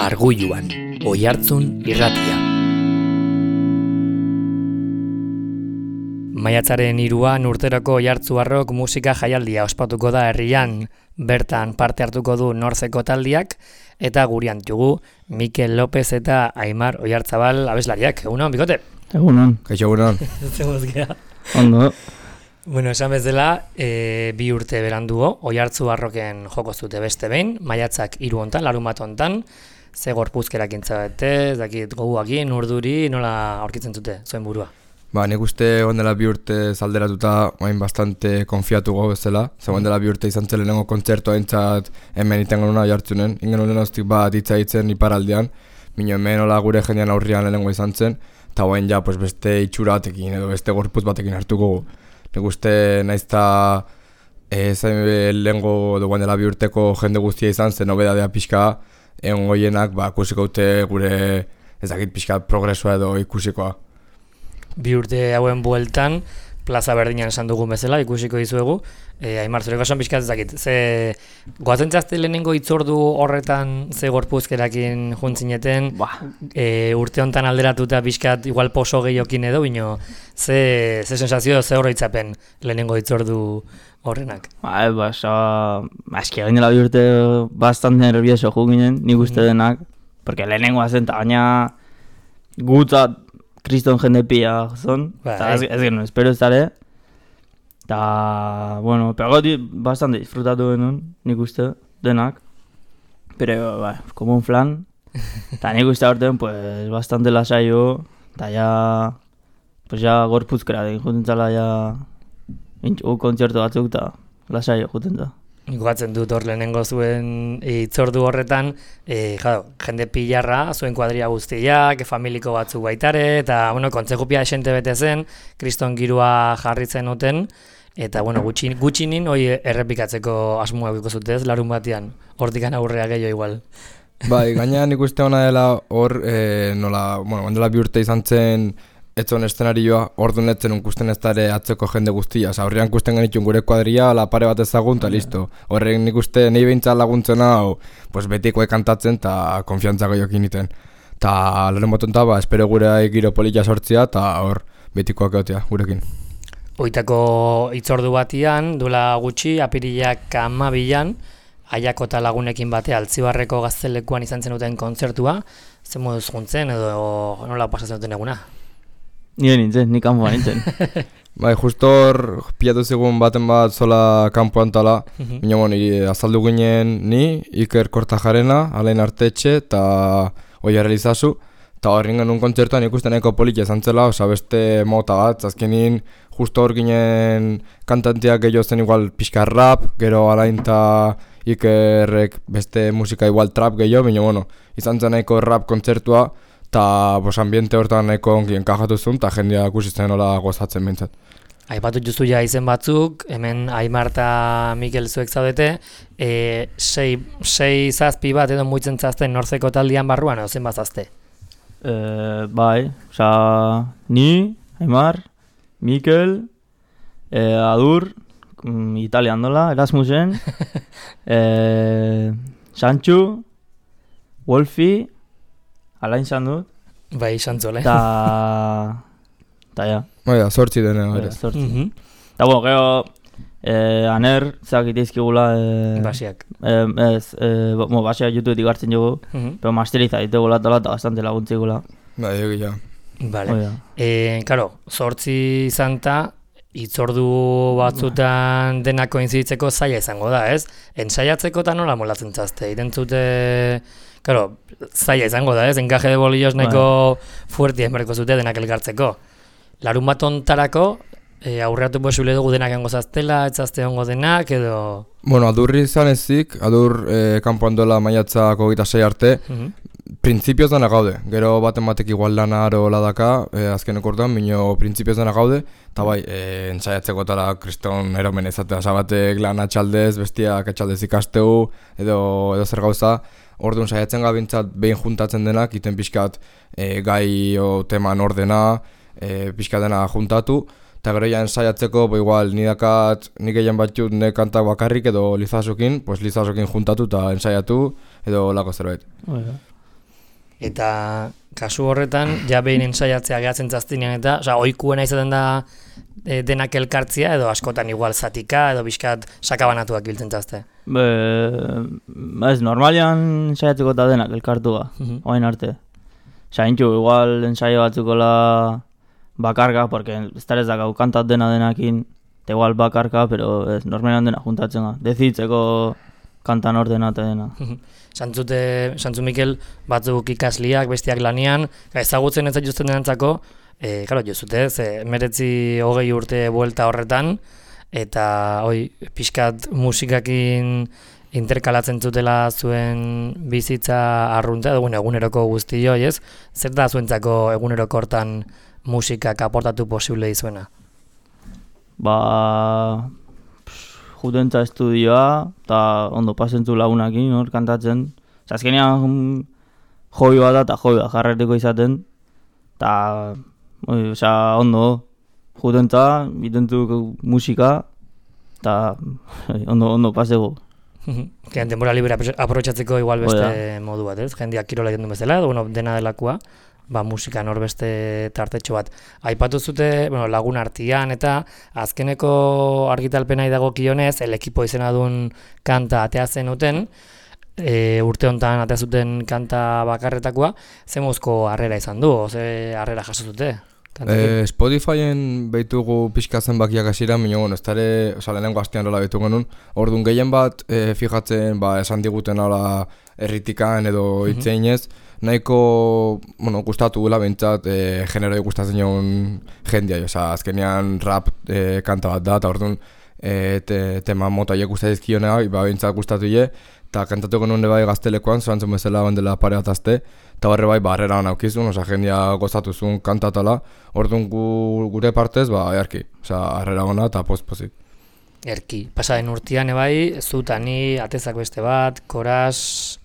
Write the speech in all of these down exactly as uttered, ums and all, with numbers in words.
Argulluan, Oihartzun irratia. Maiatzaren hiruan urteroko Oihartzuarrok musika jaialdia ospatuko da herrian. Bertan parte hartuko du Nortzeko taldiak eta gurean dugu Mikel López eta Aimar Oihartzabal abeslariak. Egunon, bikote? Egunon. Kaixo, egunon. Ondo. Bueno, esan bezala, e, bi urte berandugo, Oihartzuarroken joko zute beste behin, maiatzak hiru hontan, larunbat hontan, ze gorpuzkerak intzabete, ez dakit goguakin, urduri, nola aurkitzen zute, zuen burua? Ba, nik uste ondela bi urte zalderatuta oain bastante konfiatu gau bezala, ze ondela bi urte izan zen lehenengo kontzertu aintzat hemen iten genuna Oihartzunen, ingen lehenostik bat hitza hitzen iparaldean, mino hemen hola gure jendean aurrian lehenengo izan zen, eta oain ja pues, beste itxura batekin edo beste gorpuz batekin hartuko gu. Nik uste naizta ez lehengo duguan dela bi urteko jende guztia izan zen nobedadea pixka egon goienak ba, ikusiko dute gure ezakit pixka progresua edo ikusikoa. Bi urte hauen bueltan, plaza berdinan esan dugun bezala, ikusiko dizuegu. E, Aimar, zureko esan pixka ezakit, ze goazen txazte lehenengo itzordu horretan ze gorpuzkerakin juntzineten, e, urte hontan alderatuta pixkat igual poso gehiokin edo, bino ze, ze sensazio, ze horretzapen lehenengo itzordu horrenak. Ba, ba, so, eski egin dela bi urte bastante nervioso juginen, nik uste denak, porque lehenengoa zen, eta baina gutzat kriston jende pila zon, eta ez, ez genuen, espero ez dara, eta, bueno, pegoti bastante disfrutatu genuen, nik uste, denak, pero, ba, como un flan, eta nik uste aurten, pues, bastante lasaio, eta ja, pues, ja, gorpuzkera, den juten zala, ja, intxu kontzertu batzuk, eta lasaio juten zala. Goatzen dut hor lehenengo zuen itzordu horretan, e, jado, jende pilarra, zuen kuadria guztiak, familiko batzuk baitare, eta, bueno, kontzejupia esente bete zen, kriston girua jarritzen uten, eta, bueno, gutxin, gutxinin hoi errepikatzeko asmoa eukiko zutez, larun batean, hortikan aurrea gehiago igual. Bai, gaina nik uste hona dela hor, e, nola, bueno, ondela bi urte izan zen, etzon eszenarioa, orduan etzen unkusten ez dara atzeko jende guztia. Osa, horrean kusten genitxun gure kuadria, la pare bat ezagun, eta listo. Horren nik uste nahi behintzat laguntzen hau, pues betikoe kantatzen, eta konfiantza gehiokin iten. Ta lehen botonta, ba, espero gure giro polilla sortzia, eta hor betikoak egotea gurekin. Oitako itzordu batian, duela gutxi, apirilak amabilan, Aiako eta lagunekin batea Altzibarreko gaztelekuan izan zenuten kontzertua, zen moduz juntzen, edo nola pasatzen duten eguna? Nire nintzen, ni kanpoan nintzen. Bai, justo hor pilatu zigun baten bat zola kanpoan tala, Mhm. baina bueno, azaldu ginen ni, Iker Kortajarena, Alain Artetxe eta Oiar Elizazu, eta horren genuen kontzertuan ikusten nahiko politia izan zela, oza beste mota bat, azkenin justo hor ginen kantanteak gehiago zen igual pixka rap, gero Alain eta Ikerrek beste musika igual trap gehiago, baina bueno, izan zen nahiko rap kontzertua, eta bos ambiente hortan nahiko ongi enkajatu zuen, eta jendea ikusitzen nola gozatzen bintzat. Aipatu justu ja izen batzuk, hemen Aimar eta Mikel zuek zaudete, e, sei, sei zazpi bat edo muitzen zazten Nortzeko taldian barruan, edo zen bat zazte? E, bai, oza, ni, Aimar, Mikel, e, Adur, mm, Italian dola, Erasmusen, e, Sanchu, Wolfi, Alain zan dut, Bai, xantzole. eta, eta ja, Bai da, sortzi dena e, ere. zortzi. Mhm. Eta bueno, gero, eh, aner, zakit izkigula, eh, Basiak. eh, ez, eh, bo, basia YouTubetik hartzen jogu, Mhm. pero masteriza ditegula eta eta bastante laguntzigula. Bai, egia. Vale. Hoi da. E, karo, zortzi zanta, itzordu batzutan denak koinziditzeko zaila izango da, ez? Ensaiatzeko eta nola molatzen zazte, irentzute... Karo, zaila izango da, ez? Enkaje de bolillos nahiko fuertien berko zute denak elkartzeko. Larun bat ontarako, e, aurreatu posible dugu denak engo zaztela, etzazte ongo denak, edo... Bueno, adurri izan ezik, adur eh, kanpoan dola maiatzako gita sei arte, Mhm. printzipioz dena gaude. Gero baten batek igual lana aro ladaka, eh, azkeneko orduan, minio printzipioz dena gaude, eta bai, eh, ensaiatzeko tala kriston eromen ezatea, oza batek lana txaldez, bestiak etxaldez ikasteu, edo, edo zer gauza, orduan saiatzen gabintzat behin juntatzen denak, iten pixkat eh, gai o teman ordena, eh, pixkat dena juntatu, eta gero ja ensaiatzeko, bo igual, nidakat, nik egin batxut ne kantak bakarrik edo Lizasokin, pues Lizasokin juntatu eta ensaiatu, edo lako zerbait. Hoi da. Eta kasu horretan, ja behin ensaiatzea gehatzen zaztinean eta, oza, oikuena izaten da e, denak elkartzia, edo askotan igual zatika, edo bizkat sakabanatuak biltzen zazte. Be, ez, normalian ensaiatzeko eta denak elkartua, Mhm. oain arte. Zaintxu, igual ensaio batzukola bakarka, porque ez da ez dakau kantat dena denakin, eta igual bakarka, pero ez, normalian dena juntatzen ga. Dezitzeko kantan ordena eta dena. Santzute, Santzu Mikel batzuk ikasliak, bestiak lanian, ezagutzen ez zaituzten denantzako, e, claro, jozute, ze meretzi hogei urte buelta horretan, eta hoi, pixkat musikakin interkalatzen zutela zuen bizitza arrunta, edo bueno, eguneroko guzti hoi, ez? Zer da zuentzako eguneroko hortan musikak aportatu posible dizuena? Ba, judentza estudioa, eta ondo pasentzu lagunakin, hor, kantatzen. Osa, azkenean joi bat da, eta joi bat jarreteko izaten. Eta, osa, ondo, judentza, bitentu musika, eta ondo, ondo pasego. Kean denbora libre aprobetxatzeko igual beste modu bat, ez? Jendeak kirola egiten du bezala, edo bueno, dena delakoa, ba musikan hor beste tartetxo bat. Aipatu zute, bueno, lagun artian eta azkeneko argitalpenai dagokionez, el ekipo izena duen kanta atea zenuten, e, urte hontan atea zuten kanta bakarretakoa, ze mozko harrera izan du, ze harrera jaso zute? Eh, Spotifyen behitugu pixka zenbakiak hasieran, baina bueno, ez dara, oza, lehenengo astean nola behitu genuen, orduan gehien bat eh, fijatzen, ba, esan diguten hola erritikan edo hitzeinez, nahiko, bueno, gustatu gula behintzat, eh, generoi gustatzen joan jendia, oza, azkenean rap eh, kanta bat da, eta orduan eh, te, tema motaiek gustatizkionea, ba, behintzat gustatu je, eta kantatu genuen bai gaztelekoan, zorantzen bezala bandela pare bat azte, eta barre bai barrera naukizun, oza, jendia gozatuzun kantatala, orduan gu, gure partez, ba, earki, oza, harrera gona eta post-pozik. Erki, pasaren urtean ebai, zutani, atezak beste bat, koraz,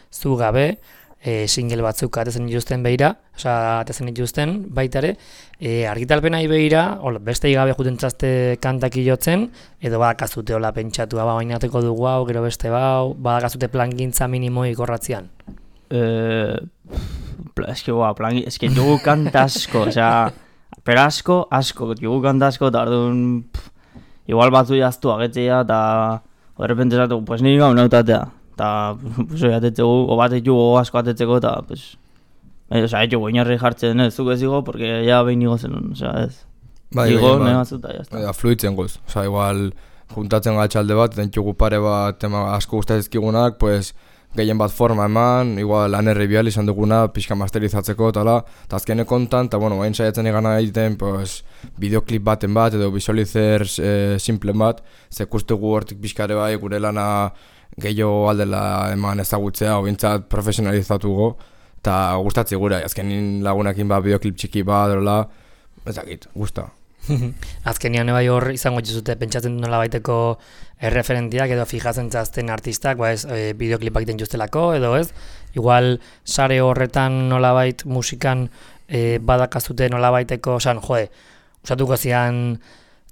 zu gabe, e, single batzuk atezen dituzten behira, oza, atezen dituzten baitare, e, argitalpenai behira, hola, beste igabe jutentzazte kantak jotzen, edo badakazute hola pentsatua, ba, bainateko dugu hau, gero beste bau, badakazute plangintza minimoi korratzean. Eh, eske, ba, plan, eske jugu kanta asko, osea, pero asko, asko, jugu kanta asko, eta orduan, igual batzu jaztu agetzea, eta horrepente esatu, pues niri gau nautatea, eta, pues, oi, atetzegu, o bat jugu asko atetzeko, eta, pues, eh, osea, ez jugu inarri jartzen, ez, zuk ez digo, porque ya behin nigo zenun, osea, ez. Bai, Digo, bai, nahi batzuta, jazta. Ja, fluitzen goz, oza, igual juntatzen gatxalde bat, eta entxugu pare bat tema asko gustazizkigunak, pues, gehien bat forma eman, igual anerri bihal izan duguna, pixka masterizatzeko, eta eta azkeneko kontan, eta bueno, hain saiatzen egana egiten, pues, bideoklip baten bat, edo visualizer e, simplen bat, zekustugu hortik pixkare bai, gure lana gehiago aldela eman ezagutzea, obintzat profesionalizatuko, eta gustatzi gure, azkenin lagunakin ba, bideoklip txiki bat, erola, ezakit, gusta. Azkenian ebai hor izango dituzute pentsatzen du nola baiteko erreferentiak edo fijatzen zazten artistak, ba ez, e, bideoklipak egiten justelako, edo ez, igual sare horretan nolabait musikan e, badakazute nolabaiteko, osan, jode, usatuko zian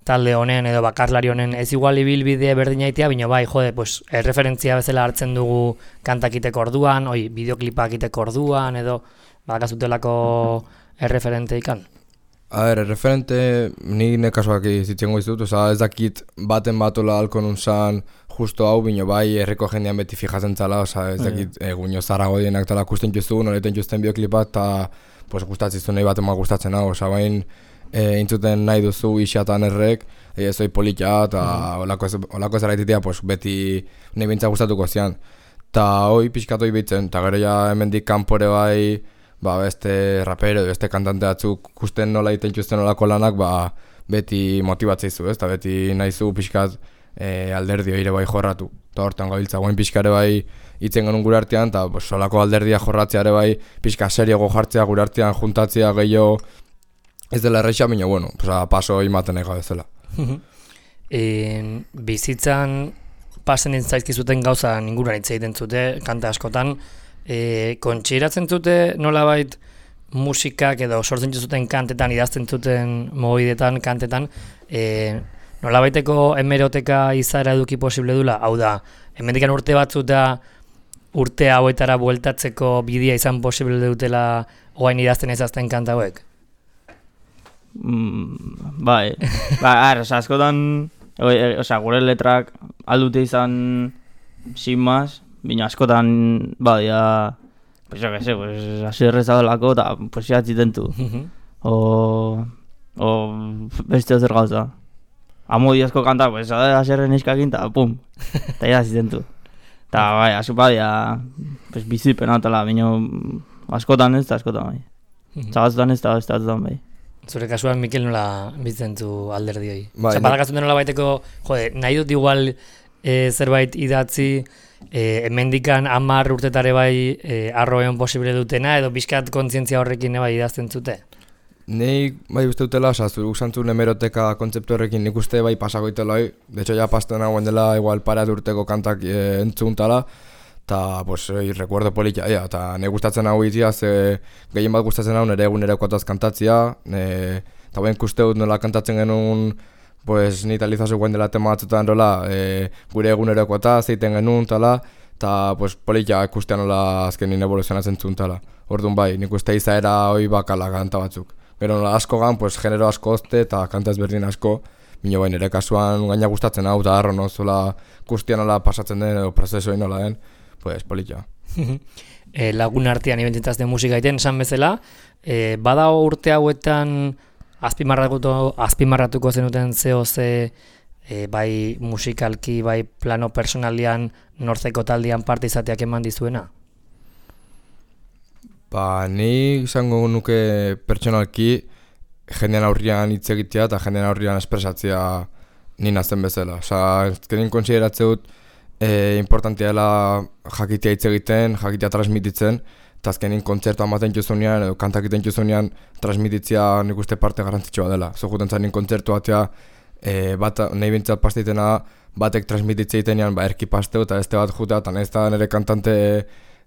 talde honen edo bakarlari honen ez igual ibilbide berdina itea, bino bai, jode, pues, erreferentzia bezala hartzen dugu kantakiteko orduan, oi, bideoklipak iteko orduan, edo badakazutelako erreferente ikan. A ber, referente, ni nekasuak izitzengo izut, oza, ez dakit baten batola halko nun zan justo hau, bino bai, herriko jendean beti fijatzen zala, oza, ez dakit egunio zarago dienak tala kusten justu, noleten justen bioklipat, eta pues, gustatzizu nahi baten ma gustatzen hau, oza, bain e, intzuten nahi duzu isiatan errek, e, ez oi politia, eta olako ez, olako ez araititea, pues, beti nahi bintza gustatuko zian. Ta hoi pixkatoi bitzen, eta gero ja hemendik kanpore bai, ba, beste rapero, beste kantante batzuk kusten nola egiten txusten nolako lanak, ba, beti motibatzeizu, ez? Eta beti nahizu pixkat e, alderdio ere bai jorratu. Eta hortan gabiltza, guain pixkare bai hitzen genuen gure artean, eta solako alderdia jorratzea ere bai pixka seriogo jartzea gure artean juntatzea gehiago ez dela erreixa, baina, bueno, pues, paso imaten ega bezala. e, bizitzan pasen zaizkizuten gauza inguruan hitz egiten zute, kanta askotan, E, kontxiratzen zute nolabait musikak edo sortzen zuten kantetan, idazten zuten mobidetan, kantetan, e, nolabaiteko hemeroteka izaera eduki posible dula, hau da, hemendikan urte batzut da urte hauetara bueltatzeko bidea izan posible dutela oain idazten ezazten kanta hauek? Mm, bai, ba, ar, oza, askotan, oza, gure letrak aldute izan sin más, bina askotan, ba, ya, pues yo que sé, pues, así errezadolako, eta, pues, ya txitentu. o, o, beste zer gauza. Amo diazko kanta, pues, aserren iskakin, eta, pum, eta ya txitentu. Eta, bai, asko, bai, ya, pues, bizipena, eta, bina, askotan ez, eta askotan, bai. Txagazutan ez, eta ez da, bai. Zure kasuan, Mikel, nola biztentu alderdi hori? Bai, Osa, badakazun nola baiteko, jode, nahi dut igual e, zerbait idatzi, e, hemendikan hamar urtetare bai e, arroen posible dutena, edo bizkat kontzientzia horrekin bai idazten zute? Nei bai uste dutela, oza, zuruk zantzun hemeroteka kontzeptu horrekin nik uste bai pasagoitela hoi. De hecho, ja pasten hauen dela igual parat urteko kantak e, entzuntala. Eta, pues, oi, recuerdo politia, ja, eta ne gustatzen hau itia, ze gehien bat gustatzen hau nire egunerokoataz kantatzia, eta ben kusteut nola kantatzen genuen, pues, ni talizazu guen dela tema batzutan rola, e, gure egunerokoataz egiten genuen, tala, eta, pues, politia ikustean nola azkenin evoluzionatzen zuen, tala. Orduan bai, nik uste izaera hoi bakala kanta batzuk. Gero nola asko gan, pues, genero asko ozte eta kanta ezberdin asko, mino bai, nire kasuan gaina gustatzen hau, eta harro, no, zola guztian nola pasatzen den, edo prozesuei nola den, pues, politxea. e, lagun artean ibentzitazten musika egiten, esan bezala, e, bada urte hauetan azpimarratuko, azpimarratuko zenuten zeo ze e, bai musikalki, bai plano personalian nortzeko taldean parte izateak eman dizuena? Ba, ni izango nuke pertsonalki jendean aurrian hitz egitea eta jendean aurrian espresatzea ni nazen bezala. Osa, ezkerin konsideratze dut E, importantia dela jakitea hitz egiten, jakitea transmititzen, eta azkenin kontzertu amaten juzunean, edo kantak egiten juzunean, transmititzea nik uste parte garrantzitsua dela. Zoguten zainin kontzertu batea, e, bat, nahi bintzat pastitena, batek transmititzea egitenean, ba, erki pasteu, eta beste bat jutea, eta nahiz da nire kantante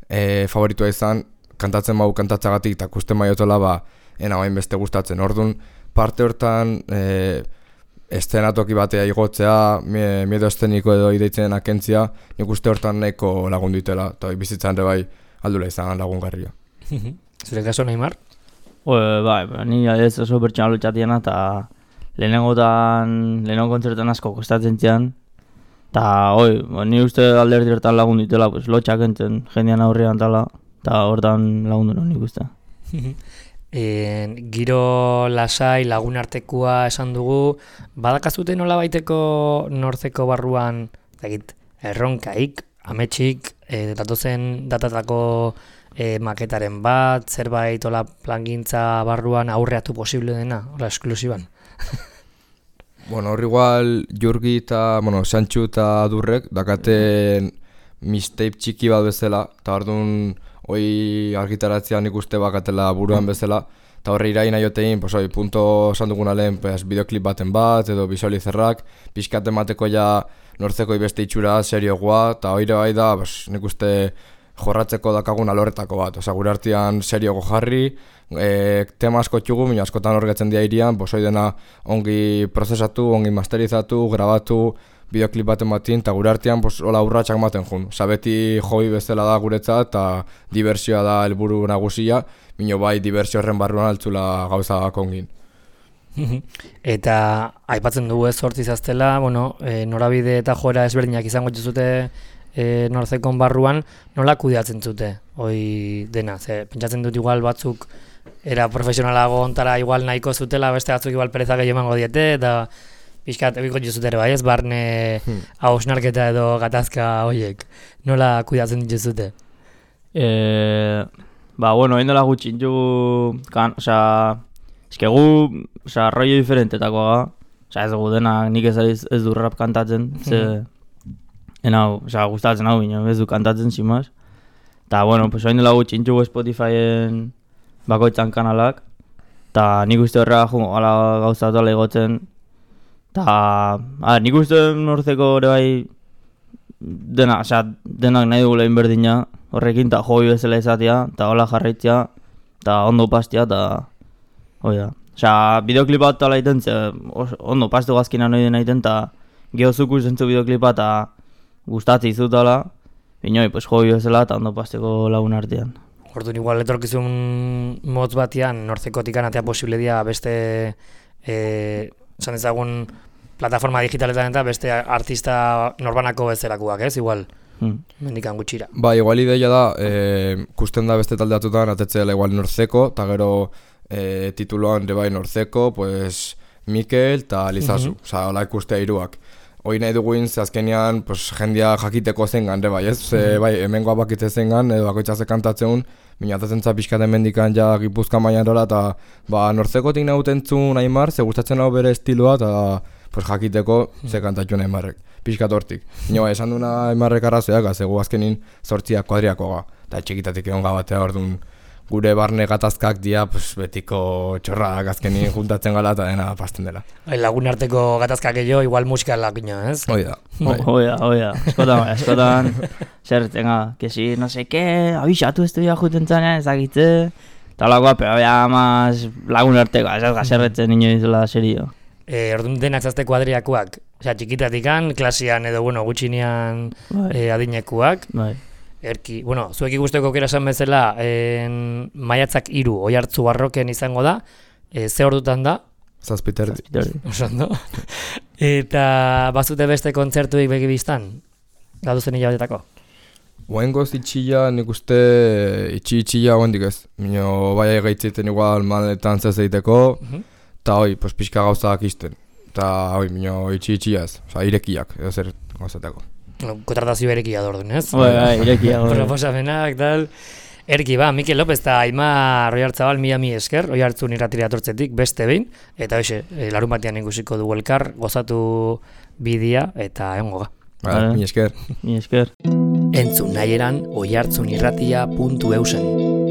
e, favoritua izan, kantatzen bau kantatzagatik, eta kusten maiotela, ba, ena bain beste gustatzen. Orduan, parte hortan, e, eszenatoki batea igotzea, miedo eszeniko edo ideitzen akentzia, nik uste hortan nahiko lagundu itela, eta bizitzan ere bai aldula izan lagungarria. Zure kaso, Neymar? Bai, bai, ni ez oso pertsona lutxatiena, eta lehenengotan, lehenengo kontzertan asko kostatzen zian, eta oi, ni uste alderdi hortan lagundu itela, pues, lotxak entzen jendean aurrean tala, eta hortan lagundu non nik uste. E, giro lasai lagunartekoa esan dugu, badakazute nola baiteko nortzeko barruan dakit, erronkaik, ametsik, e, datozen datatako e, maketaren bat, zerbait ola plangintza barruan aurreatu posible dena, ola esklusiban? Bueno, hor igual Jurgi eta, bueno, Santxu eta Durrek dakaten mistape txiki bat bezala, eta orduan hoi argitaratzea nik uste bakatela buruan bezala, eta horre iraina jotein, pues hoi, punto esan duguna lehen, pues, bideoklip baten bat, edo visualizerrak, pixkat emateko ja nortzeko beste itxura seriogoa, eta hori bai da, pues, nik uste jorratzeko dakagun alorretako bat, oza, gure artean seriogo jarri, e, tema asko txugu, mina askotan horretzen dira irian, pues hoi dena ongi prozesatu, ongi masterizatu, grabatu, bideoklip baten batin, eta gure artean pues, hola urratxak maten jun. Osa, beti hoi bezala da guretzat, eta diversioa da helburu nagusia, mino bai diversio horren barruan altzula gauza kongin. Eta aipatzen dugu ez sortzi zaztela, bueno, e, norabide eta joera ezberdinak izango zute e, nortzekon barruan, nola kudeatzen zute, hoi dena, ze pentsatzen dut igual batzuk era profesionalago ontara igual nahiko zutela, beste batzuk igual pereza gehiago emango diete, eta pixkat egiko juzutera bai ez, barne hmm. hausnarketa edo gatazka horiek. Nola kuidatzen dituzute? E, ba, bueno, hain dela gutxin ju, kan, oza, eske gu, oza, rollo diferentetakoa ga, oza, ez dugu denak nik ez, ez du rap kantatzen, ze, enau, oza, gustatzen hau bine, ez du kantatzen, simaz. Ta, bueno, pues hain dela gutxin ju Spotifyen bakoitzan kanalak, eta nik uste horrega jo, ala gauza tola igotzen, Ta, a, nik uste nortzeko ere bai dena, osea, denak nahi dugula inberdina horrekin, eta hoi bezala izatea, eta hola jarraitzea, eta ondo pastea, eta hoi da. Osea, bideoklip bat tala iten, ze ondo pastu gazkina nahi dena iten, eta gehozuku zentzu bideoklipa, eta gustatzi izutala, Inoi, pues jogi bezala eta ondo pasteko lagun artean. Orduan igual etorkizun motz batian nortzekotik anatea posible dia beste eh, esan ezagun plataforma digitaletan eta beste artista norbanako bezalakoak, ez? Igual, Hmm. mendikan gutxira. Ba, igual ideia da, e, kusten da beste talde atutan, atetzela igual Nortzeko, eta gero e, tituloan ere bai Nortzeko, pues, Mikel eta Lizazu, Mhm. osea, hola ikustea hiruak. Hoi nahi duguin, ze azkenean, pues, jendia jakiteko zengan, ere bai, ez? Ze, bai, hemengoa bakitze zengan, edo bakoitza ze kantatzeun, minatatzen za pixkaten mendikan ja Gipuzkoa mailan rola, eta, ba, Nortzekotik nahutentzun Aimar, ze gustatzen hau bere estiloa, eta, pues, jakiteko ze kantatxun Aimarrek. Piskat hortik. Ino, esan duna Aimarrek arrazoiak, zego azkenin sortziak kuadriakoa. Eta txikitatik egon gabatea, orduan gure barne gatazkak dia, pues, betiko txorrak azkenin juntatzen gala eta dena pasten dela. Bai, lagun arteko gatazkak jo, igual musika lakino, ez? Hoi da. Bai. Oia, oia, eskotan, bai, eskotan, zer, tenga, que si, no sé qué, abisatu estudia juten zanean, ezagitze, eta lagoa, pero ya más lagun arteko, ez gazerretzen inoiz dela serio. E, orduan denak zazte kuadriakoak, osea, txikitatikan, klasian edo, bueno, gutxinean Bai, e, adinekuak, bai. erki, bueno, zuek ikusteko aukera esan bezala, en, maiatzak hiru oi hartzu barroken izango da, e, ze ordutan da, Zazpiterdi. Zazpiterdi. oso ondo, eta bazute beste kontzertuik begibiztan, gaduzen hilabetako. Oengoz itxilla nik uste itxi itxilla oendik ez. Mino bai gaitzeiten igual maletan zez egiteko, Mhm. eta hoi, pues, pixka gauzak isten. Eta hoi, mino itxi itxilla ez, oza, irekiak, edo zer gauzateko. Kontratazio berekia da orduan, ez? Bai, bai, irekia, bai. Proposamenak, tal. Erki, ba, Mikel López eta Aimar Roiartzabal mila mi esker, oi hartzun irratira atortzetik beste behin, eta hoxe, e, larun batean ikusiko dugu elkar, gozatu bidia eta egongo ga. Vale, Vale. mi esker. Mi esker. Entzun nahi eran oihartzunirratia puntu eusen.